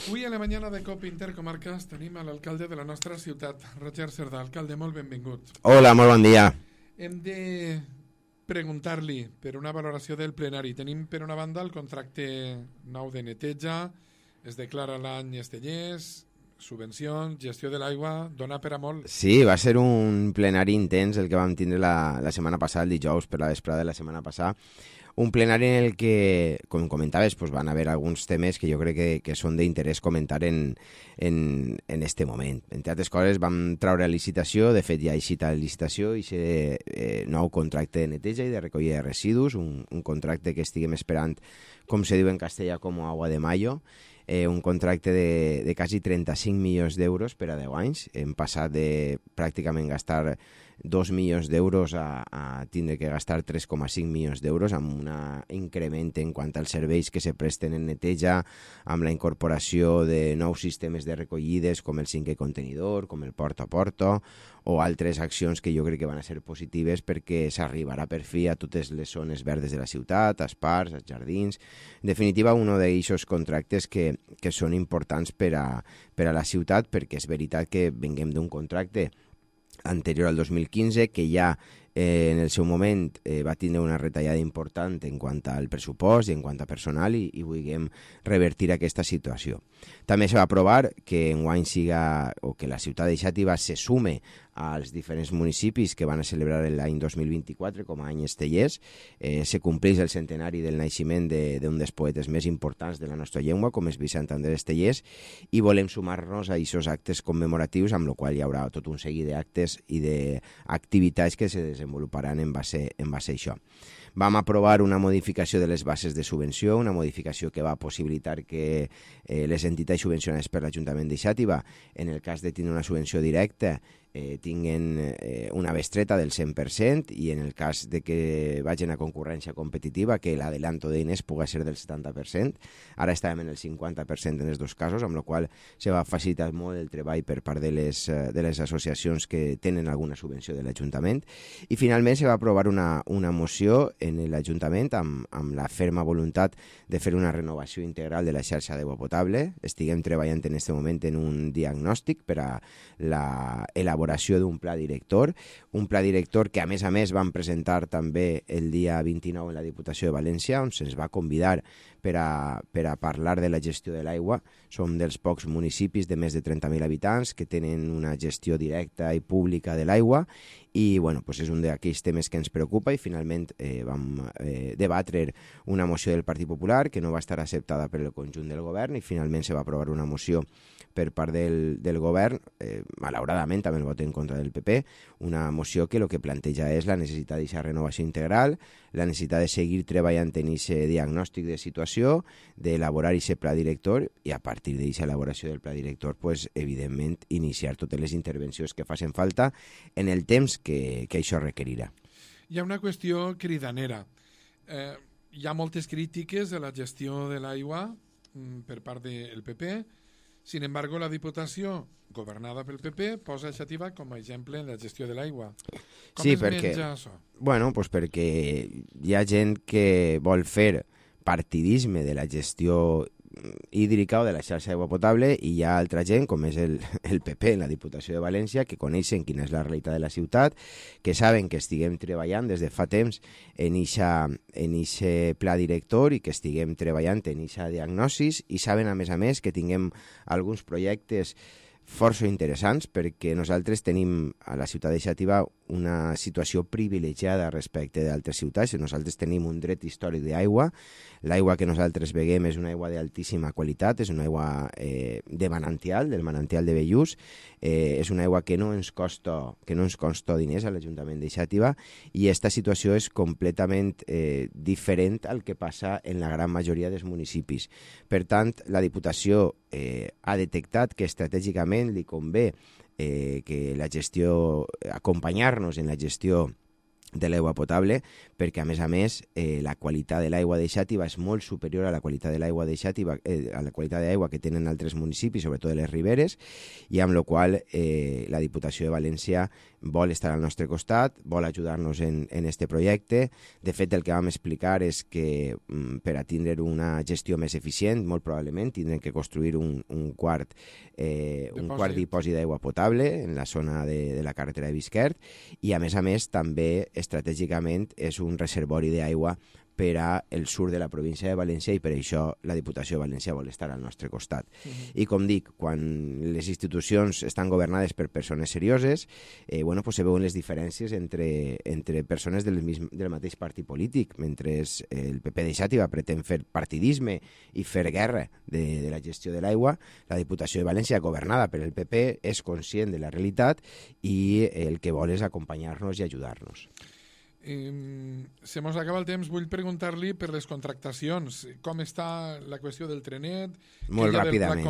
Avui a la mañana de COP Intercomarques tenim a l'alcalde de la nostra ciutat, Roger Cerdà. Alcalde, molt benvingut. Hola, molt bon dia. Hem de preguntar-li per una valoració del plenari. Tenim, per una banda, el contracte nou de neteja, es declara l'any Estellers, subvencions, gestió de l'aigua, dona per a molt. Sí, va ser un plenari intens el que vam tindre la setmana passada, el dijous per la vesprada de la setmana passada. Un plenari en el que, com comentaves, pues van haver alguns temes que jo crec que són d'interès comentar en este moment. Entre altres coses, vam traure a licitació, de fet ja ha eixit a licitació, i nou contracte de neteja i de recollida de residus, un contracte que estiguem esperant, com se diu en castellà, com agua de mayo, un contracte de quasi 35 milions d'euros per a 10 anys. Hem passat de pràcticament gastar 2 milions d'euros a tindre que gastar 3,5 milions d'euros, amb un increment en quant als serveis que se presten en neteja, amb la incorporació de nous sistemes de recollides com el 5è contenidor, com el porta a porta, o altres accions que jo crec que van a ser positives perquè s'arribarà per fi a totes les zones verdes de la ciutat, als parcs, als jardins. En definitiva, un d'aquests contractes que són importants per a la ciutat, perquè és veritat que venguem d'un contracte anterior al 2015, que ja en el seu moment va tindre una retallada important en quant al pressupost i en quant a personal, i vulguem revertir aquesta situació. També se va aprovar que enguany que la ciutat de Xàtiva se sume als diferents municipis que van a celebrar l'any 2024 com a any Estellers. Se compleix el centenari del naixement d'un dels poetes més importants de la nostra llengua, com és Vicent Andrés Estellers, i volem sumar-nos a aquests actes commemoratius, amb la qual hi haurà tot un seguit d'actes i d'activitats que se desenvoluparan en base a això. Vam aprovar una modificació de les bases de subvenció, una modificació que va possibilitar que les entitats subvencionades per l'Ajuntament de Xàtiva, en el cas de tindre una subvenció directa, tinguen una bestreta del 100%, i en el cas de que vagin a concurrència competitiva, que l'adelanto d'eines pugui ser del 70%. Ara estàvem en el 50% en els dos casos, amb la qual se va facilitar molt el treball per part de les associacions que tenen alguna subvenció de l'Ajuntament. I finalment se va aprovar una moció en l'Ajuntament amb la ferma voluntat de fer una renovació integral de la xarxa d'aigua potable. Estiguem treballant en aquest moment en un diagnòstic per a l'elaboració d'un pla director, un pla director que a més vam presentar també el dia 29 en la Diputació de València, on se'ns va convidar per a parlar de la gestió de l'aigua. Som dels pocs municipis de més de 30.000 habitants que tenen una gestió directa i pública de l'aigua, i és un d'aquells temes que ens preocupa, i finalment vam debatre una moció del Partit Popular que no va estar acceptada per el conjunt del govern, i finalment se va aprovar una moció per part del govern, malauradament també el vot en contra del PP, una moció que el que planteja és la necessitat d'aquesta renovació integral, la necessitat de seguir treballant en aquest diagnòstic de situació, d'elaborar aquest pla director, i a partir d'aquesta elaboració del pla director, evidentment, iniciar totes les intervencions que facin falta en el temps que això requerirà. Hi ha una qüestió cridanera. Hi ha moltes crítiques a la gestió de l'aigua per part del PP. Sin embargo, la Diputació, governada pel PP, posa Xàtiva com a exemple en la gestió de l'aigua. Com sí, es menja això? Perquè hi ha gent que vol fer partidisme de la gestió hídrica o de la xarxa d'aigua potable, i hi ha altra gent, com és el PP en la Diputació de València, que coneixen quina és la realitat de la ciutat, que saben que estiguem treballant des de fa temps en aquest pla director, i que estiguem treballant en aquesta diagnosi, i saben a més que tinguem alguns projectes força interessants, perquè nosaltres tenim a la ciutat de Xàtiva una situació privilegiada respecte d'altres ciutats. Nosaltres tenim un dret històric d'aigua. L'aigua que nosaltres beguem és una aigua d'altíssima qualitat, és una aigua del manantial de Bellús, és una aigua que no ens costa diners a l'Ajuntament de Xàtiva, i aquesta situació és completament diferent al que passa en la gran majoria dels municipis. Per tant, la Diputació ha detectat que estratègicament li convé que la gestió, acompanyar-nos en la gestió de l'aigua potable, perquè a més la qualitat de l'aigua de Xàtiva és molt superior a la qualitat de l'aigua de Xàtiva, a la qualitat d'aigua que tenen altres municipis, sobretot de les riberes, i amb la qual la Diputació de València vol estar al nostre costat, vol ajudar-nos en este projecte. De fet, el que vam explicar és que per a tindre una gestió més eficient, molt probablement tindrem que construir un quart dipòsit d'aigua potable en la zona de la carretera de Bisquert, i a més també estratègicament és un reservori d'aigua per al sud de la província de València, i per això la Diputació de València vol estar al nostre costat. I com dic, quan les institucions estan governades per persones serioses, se veuen les diferències entre persones del mateix partit polític. Mentre el PP de Xàtiva pretén fer partidisme i fer guerra de la gestió de l'aigua, la Diputació de València, governada per el PP, és conscient de la realitat i el que vol és acompanyar-nos i ajudar-nos. Se mos acaba el temps. Vull preguntar-li per les contractacions. Com està la qüestió del trenet? Molt ràpidament.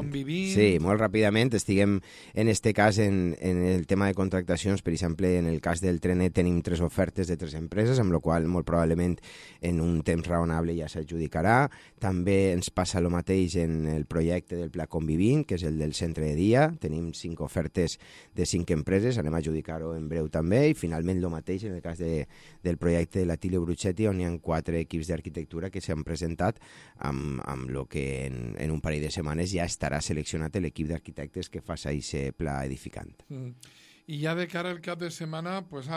Sí, molt ràpidament. Estiguem, en este cas, en el tema de contractacions. Per exemple, en el cas del trenet tenim 3 ofertes de 3 empreses, amb la qual molt probablement en un temps raonable ja s'adjudicarà. També ens passa el mateix en el projecte del Pla Convivint, que és el del centre de dia. Tenim 5 ofertes de 5 empreses, anem a adjudicar-ho en breu també, i finalment el mateix en el cas del projecte de l'Atilio Bruchetti, on hi ha 4 equips d'arquitectura que s'han presentat amb el que en un parell de setmanes ja estarà seleccionat l'equip d'arquitectes que fa aquest pla edificant. I ja de cara al cap de setmana, pues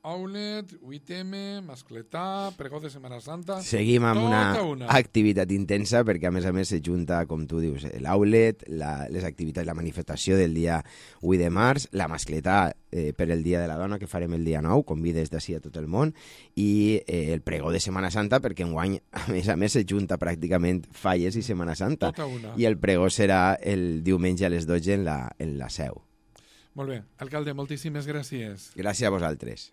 Aulet, 8M, Mascletà, pregó de Setmana Santa... Seguim amb una activitat intensa, perquè a més se junta, com tu dius, l'Aulet, les activitats, la manifestació del dia 8 de març, la Mascletà per el Dia de la Dona, que farem el dia 9, convides d'ací a tot el món, i el pregó de Setmana Santa, perquè enguany, a més se junta pràcticament Falles i Setmana Santa. I el pregó serà el diumenge a les 12 en la Seu. Molt bé. Alcalde, moltíssimes gràcies. Gràcies a vosaltres.